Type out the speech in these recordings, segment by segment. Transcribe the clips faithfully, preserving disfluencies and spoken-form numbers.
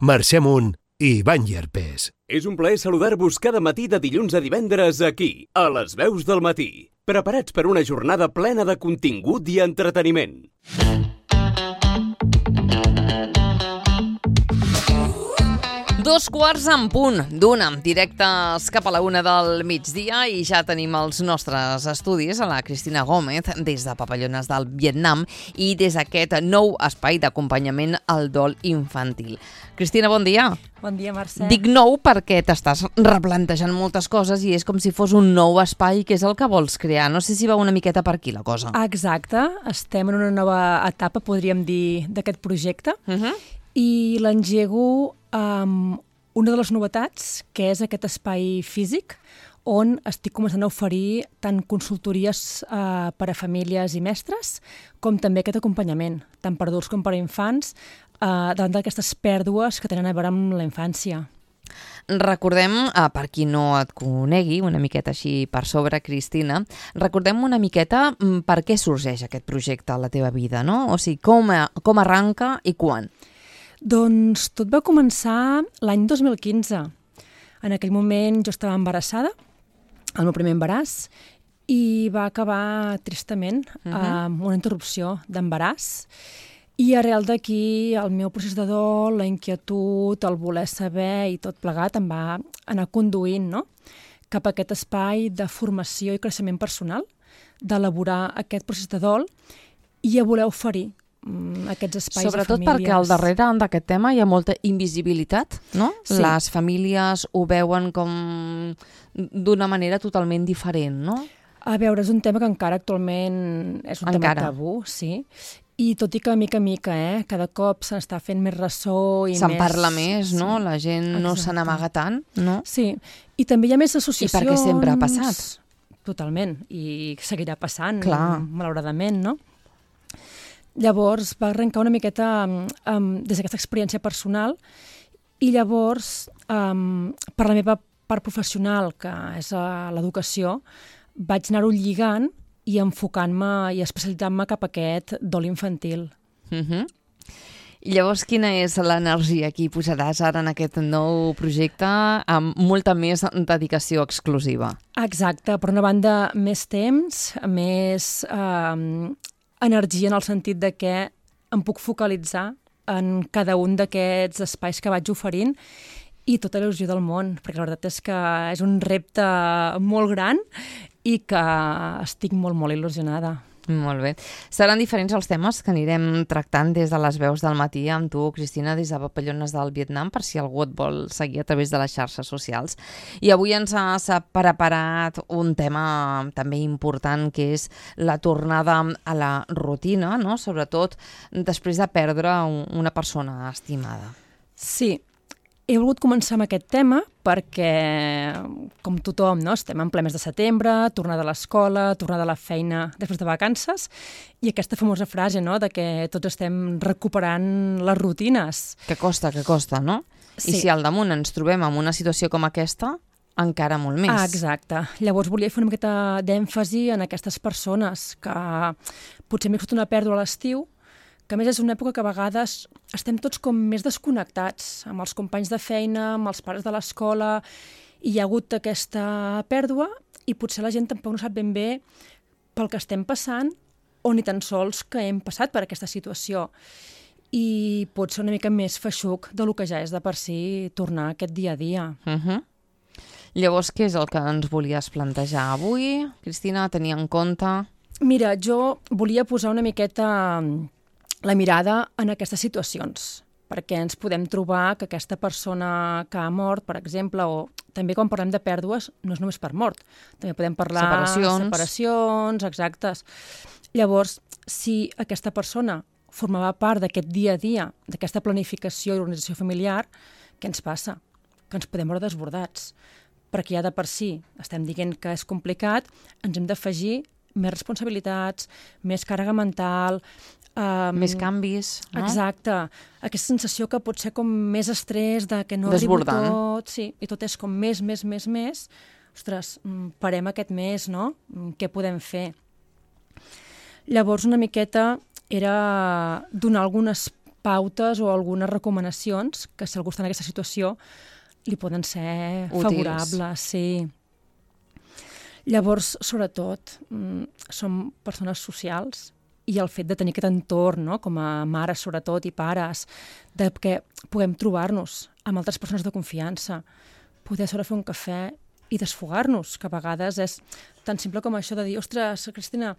Mercè Munt i Ivan Llerpés. És un plaer saludar-vos cada matí de dilluns a divendres aquí, a les veus del matí. Preparats per una jornada plena de contingut i entreteniment. Dos quarts en punt d'una, directes cap a la una del migdia, i ja tenim els nostres estudis a la Cristina Gómez des de Papallones del Vietnam i des d'aquest nou espai d'acompanyament al dol infantil. Cristina, bon dia. Bon dia, Mercè. Dic nou perquè t'estàs replantejant moltes coses i és com si fos un nou espai, que és el que vols crear. No sé si va una miqueta per aquí la cosa. Exacte, estem en una nova etapa, podríem dir, d'aquest projecte, Uh-huh. i l'engego amb una de les novetats, que és aquest espai físic, on estic començant a oferir tant consultories eh, per a famílies i mestres, com també aquest acompanyament, tant per adults com per a infants, eh, davant d'aquestes pèrdues que tenen a veure amb la infància. Recordem, eh, per qui no et conegui, una miqueta així per sobre, Cristina, recordem una miqueta mm, per què sorgeix aquest projecte a la teva vida, no? O sigui, com, com arranca i quan? Doncs tot va començar l'any dos mil quinze. En aquell moment jo estava embarassada, el meu primer embaràs, i va acabar tristament Mhm. amb una interrupció d'embaràs. I arrel d'aquí el meu procés de dol, la inquietud, el voler saber i tot plegat em va anar conduint, no?, cap a aquest espai de formació i creixement personal, d'elaborar aquest procés de dol i a voler oferir mm, aquests espais Sobretot a famílies. perquè al darrere d'aquest tema hi ha molta invisibilitat, no? Sí. Les famílies ho veuen com d'una manera totalment diferent, no? A veure, és un tema que encara actualment és un Encara. tema tabú, sí. I tot i que mica a mica, eh, cada cop se n'està fent més ressò i Se'n més... parla més, no? Sí. La gent no se Exacte. n'amaga tant, no? Sí, i també hi ha més associacions... I perquè sempre ha passat. Totalment, i seguirà passant, Clar. malauradament, no? Llavors va arrencar una miqueta um, um, des d'aquesta experiència personal i llavors, um, per la meva part professional, que és uh, l'educació, vaig anar-ho lligant i enfocant-me i especialitzant-me cap a aquest dol infantil. Uh-huh. I llavors, quina és l'energia que hi posaràs ara en aquest nou projecte amb molta més dedicació exclusiva? Exacte, per una banda, més temps, més eh, energia en el sentit de que em puc focalitzar en cada un d'aquests espais que vaig oferint i tota l'il·lusió del món, perquè la veritat és que és un repte molt gran i que estic molt, molt il·lusionada. Molt bé. Seran diferents els temes que anirem tractant des de les veus del matí amb tu, Cristina, des de Papallones del Vietnam, per si algú et vol seguir a través de les xarxes socials. I avui ens has preparat un tema també important, que és la tornada a la rutina, no? Sobretot després de perdre una persona estimada. Sí, he volgut començar amb aquest tema perquè, com tothom, no? Estem en ple mes de setembre, tornada a l'escola, tornada a la feina després de vacances, i aquesta famosa frase, no?, de que tots estem recuperant les rutines. Que costa, que costa, no? Sí. I si al damunt ens trobem en una situació com aquesta, encara molt més. Ah, exacte. Llavors volia fer una miqueta d'èmfasi en aquestes persones que potser m'he fet una pèrdua a l'estiu, que a més és una època que a vegades estem tots com més desconnectats amb els companys de feina, amb els pares de l'escola, i hi ha hagut aquesta pèrdua i potser la gent tampoc no sap ben bé pel que estem passant o ni tan sols que hem passat per aquesta situació. I pot ser una mica més feixuc del que ja és de per si tornar a aquest dia a dia. Uh-huh. Llavors, què és el que ens volies plantejar avui, Cristina, a tenir en compte? Mira, jo volia posar una miqueta la mirada en aquestes situacions, perquè ens podem trobar que aquesta persona que ha mort, per exemple, o també quan parlem de pèrdues, no és només per mort, també podem parlar de Separacions. separacions, exactes. Llavors, si aquesta persona formava part d'aquest dia a dia, d'aquesta planificació i organització familiar, què ens passa? Que ens podem veure desbordats, perquè ja de per si estem dient que és complicat, ens hem d'afegir més responsabilitats, més càrrega mental... Um, Més canvis, no? Exacte. Aquesta sensació que pot ser com més estrès, de que no Desbordant. arribo tot, sí, i tot és com més, més, més, més. Ostres, parem aquest mes, no? Què podem fer? Llavors, una miqueta era donar algunes pautes o algunes recomanacions que si algú està en aquesta situació li poden ser útils. favorables. Sí. Llavors, sobretot, som persones socials i el fet de tenir aquest entorn, no? Com a mares, sobretot, i pares, de que puguem trobar-nos amb altres persones de confiança, poder sobre fer un cafè i desfogar-nos, que a vegades és tan simple com això de dir, ostres, Cristina,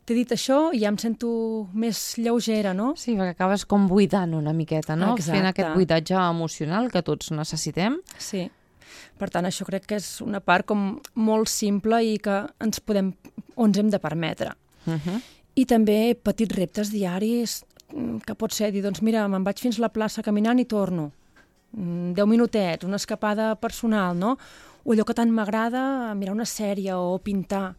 t'he dit això i ja em sento més lleugera, no? Sí, perquè acabes com buidant una miqueta, no? Exacte. Fent aquest buidatge emocional que tots necessitem. Sí. Per tant, això crec que és una part com molt simple i que ens podem, o ens hem de permetre. Uh -huh. I també petits reptes diaris, que pot ser dir, doncs mira, me'n vaig fins a la plaça caminant i torno. Deu minutets, una escapada personal, no? O allò que tant m'agrada, mirar una sèrie o pintar,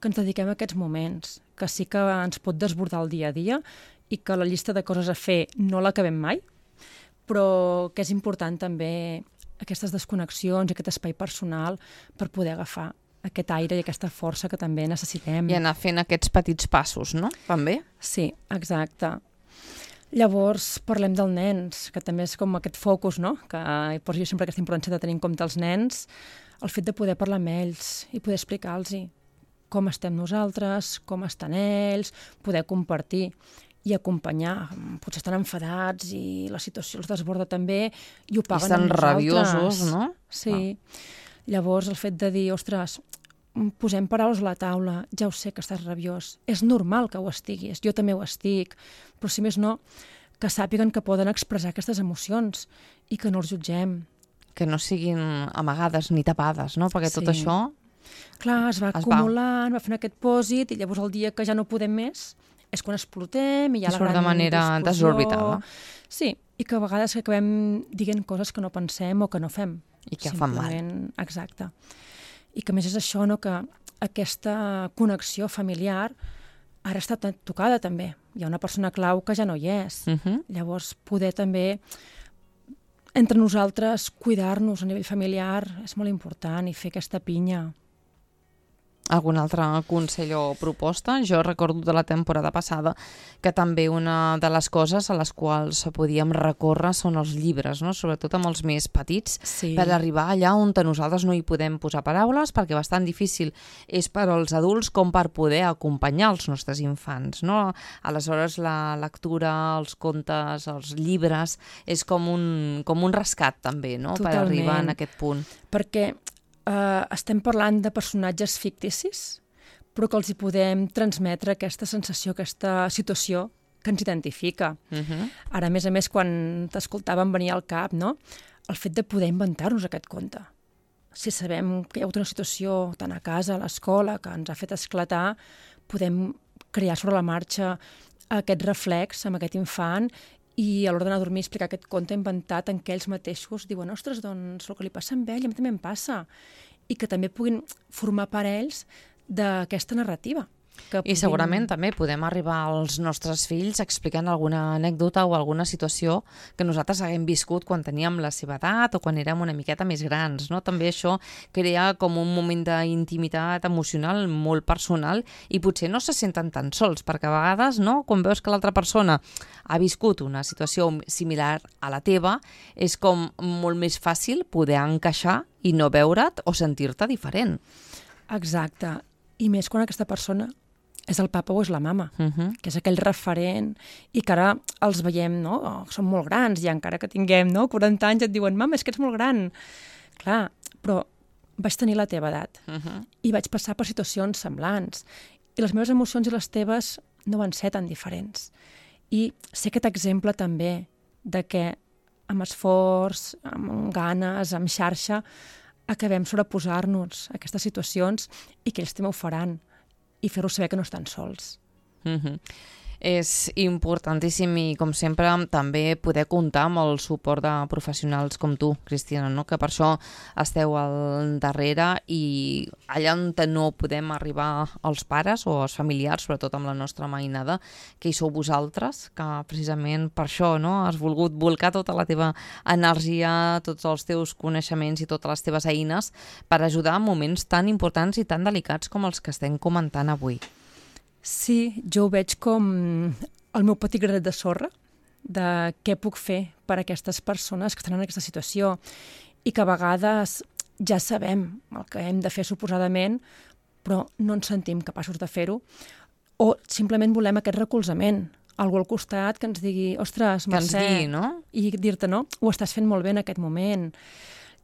que ens dediquem a aquests moments, que sí que ens pot desbordar el dia a dia i que la llista de coses a fer no l'acabem mai, però que és important també aquestes desconnexions, aquest espai personal per poder agafar aquest aire i aquesta força que també necessitem. I anar fent aquests petits passos, no? També? Sí, exacte. Llavors, parlem dels nens, que també és com aquest focus, no? Que poso jo sempre aquesta importància de tenir en compte els nens, el fet de poder parlar amb ells i poder explicar-los com estem nosaltres, com estan ells, poder compartir i acompanyar. Potser estan enfadats i la situació els desborda també i ho paguen estan amb nosaltres. rabiosos, no? Sí. Ah. Llavors, el fet de dir, ostres, posem paraules a la taula, ja ho sé que estàs rabiós, és normal que ho estiguis, jo també ho estic, però si més no, que sàpiguen que poden expressar aquestes emocions i que no els jutgem. Que no siguin amagades ni tapades, no? Perquè tot Sí. això... Clar, es va Es va. acumulant, va fent aquest pòsit i llavors el dia que ja no podem més és quan explotem i hi ha I la surt gran de manera discussió. desorbitada. Sí, i que a vegades acabem dient coses que no pensem o que no fem. I que fan mal. Simplement, exacte. I que a més és això, no? Que aquesta connexió familiar ara està tocada també. Hi ha una persona clau que ja no hi és. Uh -huh. Llavors, poder també entre nosaltres cuidar-nos a nivell familiar és molt important i fer aquesta pinya. Algun altre consell o proposta? Jo recordo de la temporada passada que també una de les coses a les quals podíem recórrer són els llibres, no? Sobretot amb els més petits, Sí. per arribar allà on nosaltres no hi podem posar paraules, perquè bastant difícil és per als adults com per poder acompanyar els nostres infants, no? Aleshores la lectura, els contes, els llibres, és com un, com un rescat també, no? Per Totalment. arribar en aquest punt. Perquè eh, estem parlant de personatges ficticis, però que els hi podem transmetre aquesta sensació, aquesta situació que ens identifica. Uh -huh. Ara, a més a més, quan t'escoltàvem venir al cap, no? El fet de poder inventar-nos aquest conte. Si sabem que hi ha hagut una situació tant a casa, a l'escola, que ens ha fet esclatar, podem crear sobre la marxa aquest reflex amb aquest infant i a l'hora d'anar a dormir explicar aquest conte inventat en què ells mateixos diuen, ostres, doncs el que li passa amb ell a mi també em passa. I que també puguin formar part ells d'aquesta narrativa. Que I puguin... segurament també podem arribar als nostres fills explicant alguna anècdota o alguna situació que nosaltres haguem viscut quan teníem la seva edat o quan érem una miqueta més grans, no? També això crea com un moment d'intimitat emocional molt personal i potser no se senten tan sols, perquè a vegades, no? Quan veus que l'altra persona ha viscut una situació similar a la teva, és com molt més fàcil poder encaixar i no veure't o sentir-te diferent. Exacte. I més quan aquesta persona és el papa o és la mama, Uh -huh. que és aquell referent i que ara els veiem, no? Oh, són molt grans i encara que tinguem no? quaranta anys et diuen, mama, és que ets molt gran. Clar, però vaig tenir la teva edat Uh -huh. i vaig passar per situacions semblants i les meves emocions i les teves no van ser tan diferents. I sé aquest exemple també de que amb esforç, amb ganes, amb xarxa, acabem sobreposar-nos a aquestes situacions i que ells també ho faran i fer-los saber que no estan sols. Uh-huh. És importantíssim i, com sempre, també poder comptar amb el suport de professionals com tu, Cristina, no? Que per això esteu al darrere i allà on no podem arribar els pares o els familiars, sobretot amb la nostra mainada, que hi sou vosaltres, que precisament per això, no? Has volgut volcar tota la teva energia, tots els teus coneixements i totes les teves eines per ajudar en moments tan importants i tan delicats com els que estem comentant avui. Sí, jo ho veig com el meu petit granet de sorra de què puc fer per a aquestes persones que estan en aquesta situació i que a vegades ja sabem el que hem de fer suposadament, però no ens sentim capaços de fer-ho, o simplement volem aquest recolzament, algú al costat que ens digui, ostres, Mercè, que ens digui, no? I dir-te, no, ho estàs fent molt bé en aquest moment.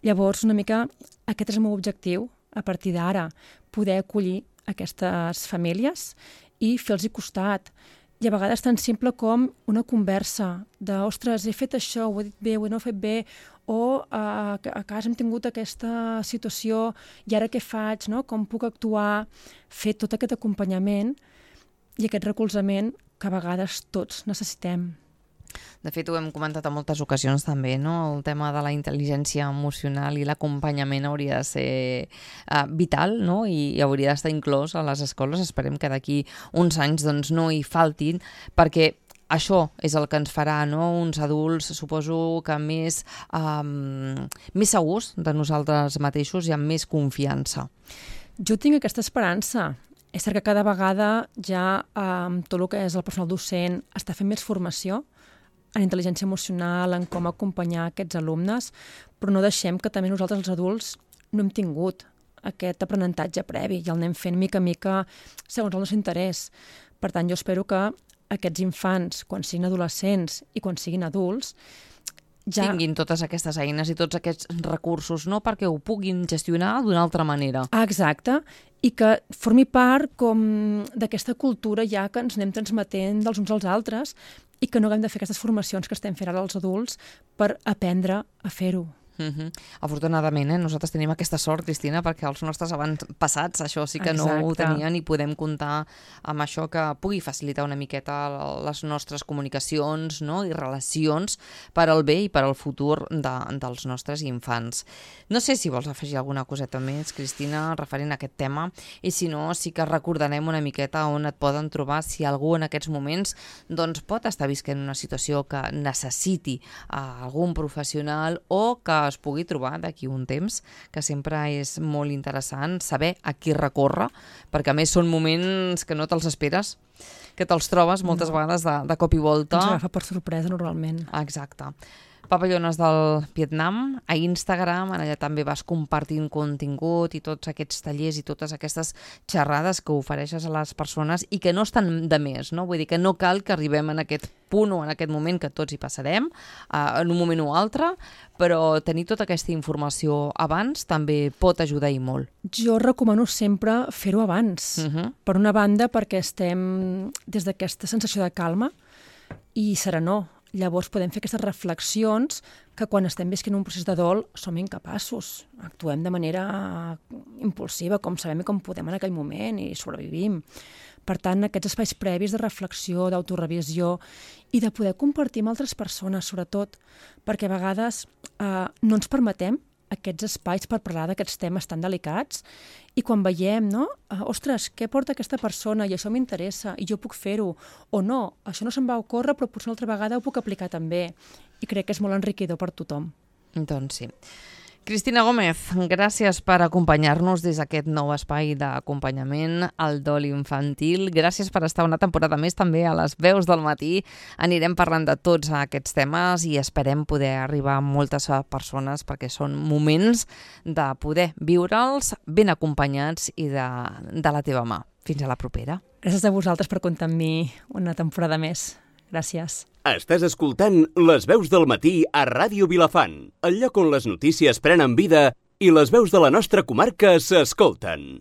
Llavors, una mica, aquest és el meu objectiu, a partir d'ara, poder acollir aquestes famílies i fer-los costat. I a vegades tan simple com una conversa de, ostres, he fet això, ho he dit bé, ho he no fet bé, o a, a casa hem tingut aquesta situació i ara què faig, no? Com puc actuar, fer tot aquest acompanyament i aquest recolzament que a vegades tots necessitem. De fet, ho hem comentat en moltes ocasions també, no? El tema de la intel·ligència emocional i l'acompanyament hauria de ser uh, vital, no? I, i hauria d'estar inclòs a les escoles. Esperem que d'aquí uns anys doncs, no hi faltin, perquè això és el que ens farà, no? Uns adults, suposo que més, um, més segurs de nosaltres mateixos i amb més confiança. Jo tinc aquesta esperança. És cert que cada vegada ja um, tot el que és el personal docent està fent més formació en intel·ligència emocional, en com acompanyar aquests alumnes, però no deixem que també nosaltres els adults no hem tingut aquest aprenentatge previ i el anem fent mica a mica segons el nostre interès. Per tant, jo espero que aquests infants, quan siguin adolescents i quan siguin adults, ja tinguin totes aquestes eines i tots aquests recursos, no? Perquè ho puguin gestionar d'una altra manera. Ah, exacte, i que formi part com d'aquesta cultura ja que ens anem transmetent dels uns als altres i que no haguem de fer aquestes formacions que estem fent ara als adults per aprendre a fer-ho. Uh-huh. Afortunadament, eh? Nosaltres tenim aquesta sort, Cristina, perquè els nostres avantpassats això sí que Exacte. No ho tenien i podem comptar amb això que pugui facilitar una miqueta les nostres comunicacions, no? I relacions per al bé i per al futur de, dels nostres infants. No sé si vols afegir alguna coseta més, Cristina, referent a aquest tema, i si no, sí que recordarem una miqueta on et poden trobar si algú en aquests moments doncs, pot estar visquent una situació que necessiti uh, algun professional o que es pugui trobar d'aquí un temps, que sempre és molt interessant saber a qui recórrer, perquè a més són moments que no te'ls esperes, que te'ls trobes moltes no. vegades de, de cop i volta. Ens agafa per sorpresa normalment. Exacte. Papallones del Vietnam, a Instagram, allà també vas compartint contingut i tots aquests tallers i totes aquestes xerrades que ofereixes a les persones i que no estan de més, no? Vull dir que no cal que arribem en aquest punt o en aquest moment que tots hi passarem, uh, en un moment o altre, però tenir tota aquesta informació abans també pot ajudar i molt. Jo recomano sempre fer-ho abans. Uh-huh. Per una banda, perquè estem des d'aquesta sensació de calma i serenor. Llavors podem fer aquestes reflexions que quan estem visquent un procés de dol som incapaços. Actuem de manera impulsiva, com sabem i com podem en aquell moment i sobrevivim. Per tant, aquests espais previs de reflexió, d'autorevisió i de poder compartir amb altres persones, sobretot, perquè a vegades eh, no ens permetem aquests espais per parlar d'aquests temes tan delicats i quan veiem, no? Uh, ostres, què porta aquesta persona i això m'interessa i jo puc fer-ho, o no, això no se'm va ocórrer però potser una altra vegada ho puc aplicar també i crec que és molt enriquidor per tothom. Doncs sí. Cristina Gómez, gràcies per acompanyar-nos des d'aquest nou espai d'acompanyament al dol infantil. Gràcies per estar una temporada més també a les veus del matí. Anirem parlant de tots aquests temes i esperem poder arribar a moltes persones perquè són moments de poder viure'ls ben acompanyats i de, de la teva mà. Fins a la propera. Gràcies a vosaltres per comptar amb mi una temporada més. Gràcies. Estàs escoltant Les veus del matí a Ràdio Vilafant, el lloc on les notícies prenen vida i les veus de la nostra comarca s'escolten.